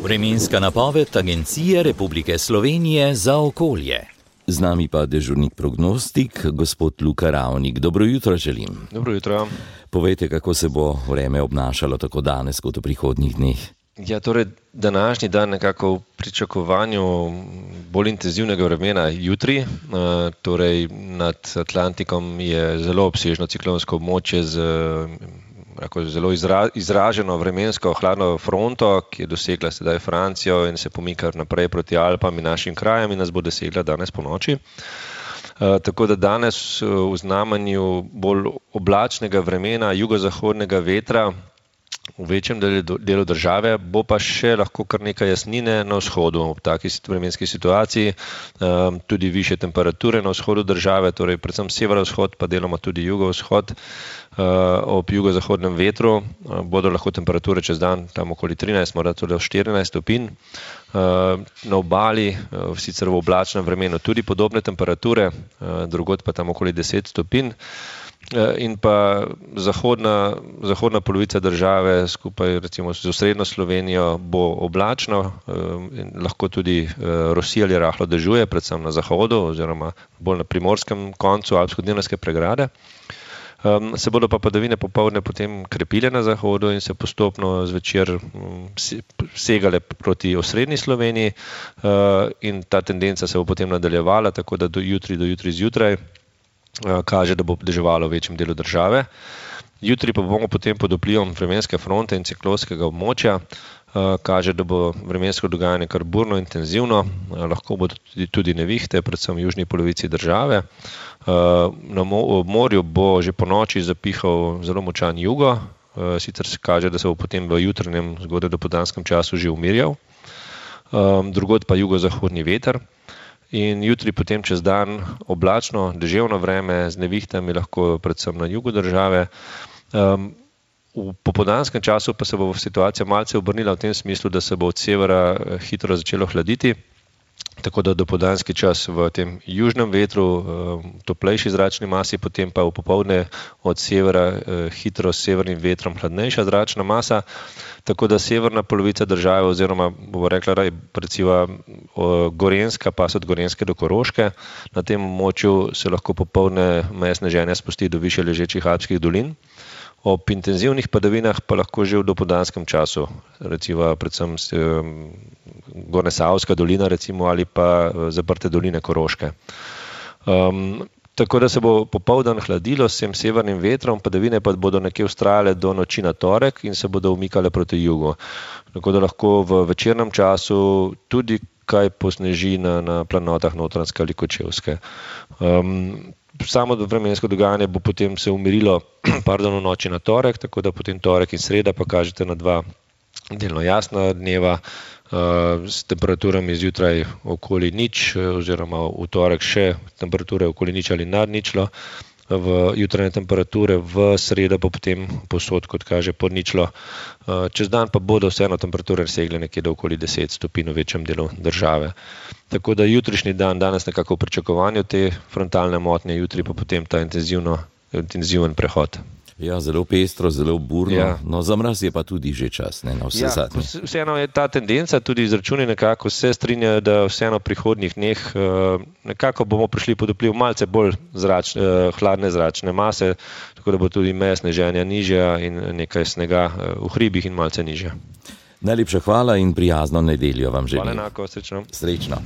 Vremenska napoved Agencije Republike Slovenije za okolje. Z nami pa dežurnik prognostik, gospod Luka Ravnik. Dobro jutro želim. Dobro jutro. Povejte, kako se bo vreme obnašalo tako danes kot v prihodnjih dneh. Ja, torej današnji dan nekako v pričakovanju bolj intenzivnega vremena jutri. Torej nad Atlantikom je zelo obsežno ciklonsko območje z zelo izraženo vremensko hladno fronto, ki je dosegla sedaj Francijo in se pomika naprej proti Alpam in našim krajem in nas bo dosegla danes ponoči. Tako da danes v znamenju bolj oblačnega vremena, jugozahodnega vetra v večjem delu države, bo pa še lahko kar nekaj jasnine na vzhodu ob taki vremenski situaciji, tudi višje temperature na vzhodu države, torej predvsem severovzhod, pa deloma tudi jugovzhod. Ob jugozahodnem vetru bodo lahko temperature čez dan tam okoli 13, morda tudi 14 stopinj. Na obali, sicer v oblačnem vremenu, tudi podobne temperature, drugod pa tam okoli 10 stopinj. In pa zahodna polovica države skupaj recimo z osrednjo Slovenijo bo oblačno, lahko tudi rosi ali rahlo dežuje, predvsem na zahodu oziroma bolj na primorskem koncu alpsko-dinarske pregrade. Se bodo pa padavine popoldne potem krepile na zahodu in se postopno zvečer segale proti osrednji Sloveniji, in ta tendenca se bo potem nadaljevala, tako da do jutri zjutraj kaže, da bo deževalo v večjem delu države. Jutri pa bomo potem pod vplivom vremenske fronte in ciklonskega območja, kaže, da bo vremensko dogajanje kar burno intenzivno, lahko bodo tudi nevihte, predvsem v južni polovici države. Na morju bo že ponoči zapihal zelo močan jugo, sicer se kaže, da se bo potem v jutranjem zgodaj dopoldanskem času že umirjal, drugod pa jugozahodni veter. In jutri potem čez dan oblačno, deževno vreme z nevihtami, lahko predvsem na jugu države. V popoldanskem času pa se bo situacija malce obrnila v tem smislu, da se bo od severa hitro začelo hladiti, tako da dopoldanski čas v tem južnem vetru, toplejši zračni masi, potem pa v popoldne od severa hitro s severnim vetrom hladnejša zračna masa, tako da severna polovica države oziroma bomo rekla recimo Gorenjska, pas od Gorenjske do Koroške, na tem območju se lahko popoldne meje sneženja spusti do višje ležečih alpskih dolin. Ob intenzivnih padavinah pa lahko že v dopoldanskem času, recimo predvsem Gornjesavska dolina recimo ali pa zaprte doline Koroške. Tako da se bo popoldan hladilo s tem severnim vetrom, padavine pa bodo nekje vztrajale do noči na torek in se bodo umikale proti jugu. Tako da lahko v večernem času tudi kaj posneži na planotah Notranjske ali Kočevske. Samo vremensko dogajanje bo potem se umirilo v noči na torek, tako da potem torek in sreda pa kažete na dva delno jasna dneva, s temperaturami zjutraj okoli nič, oziroma v torek še temperature okoli nič ali nad ničlo, v jutranje temperature, v sredo pa potem posod, kot kaže, pod ničlo. Čez dan pa bodo vseeno temperature segle nekje do okoli 10 stopinj v večjem delu države. Tako da jutrišnji dan, danes nekako v pričakovanju te frontalne motnje, jutri pa potem ta intenziven prehod. Ja, zelo pestro, zelo burno, ja. No za mraz je pa tudi že čas, ne, na vse zadnje. Vseeno je ta tendenca, tudi izračuni nekako se strinjajo, da vseeno v prihodnjih dneh nekako bomo prišli pod vpliv malce bolj hladne zračne mase, tako da bo tudi meja sneženja nižja in nekaj snega v hribih in malce nižja. Najlepša hvala in prijazno nedeljo vam želim. Hvala enako, srečno. Srečno.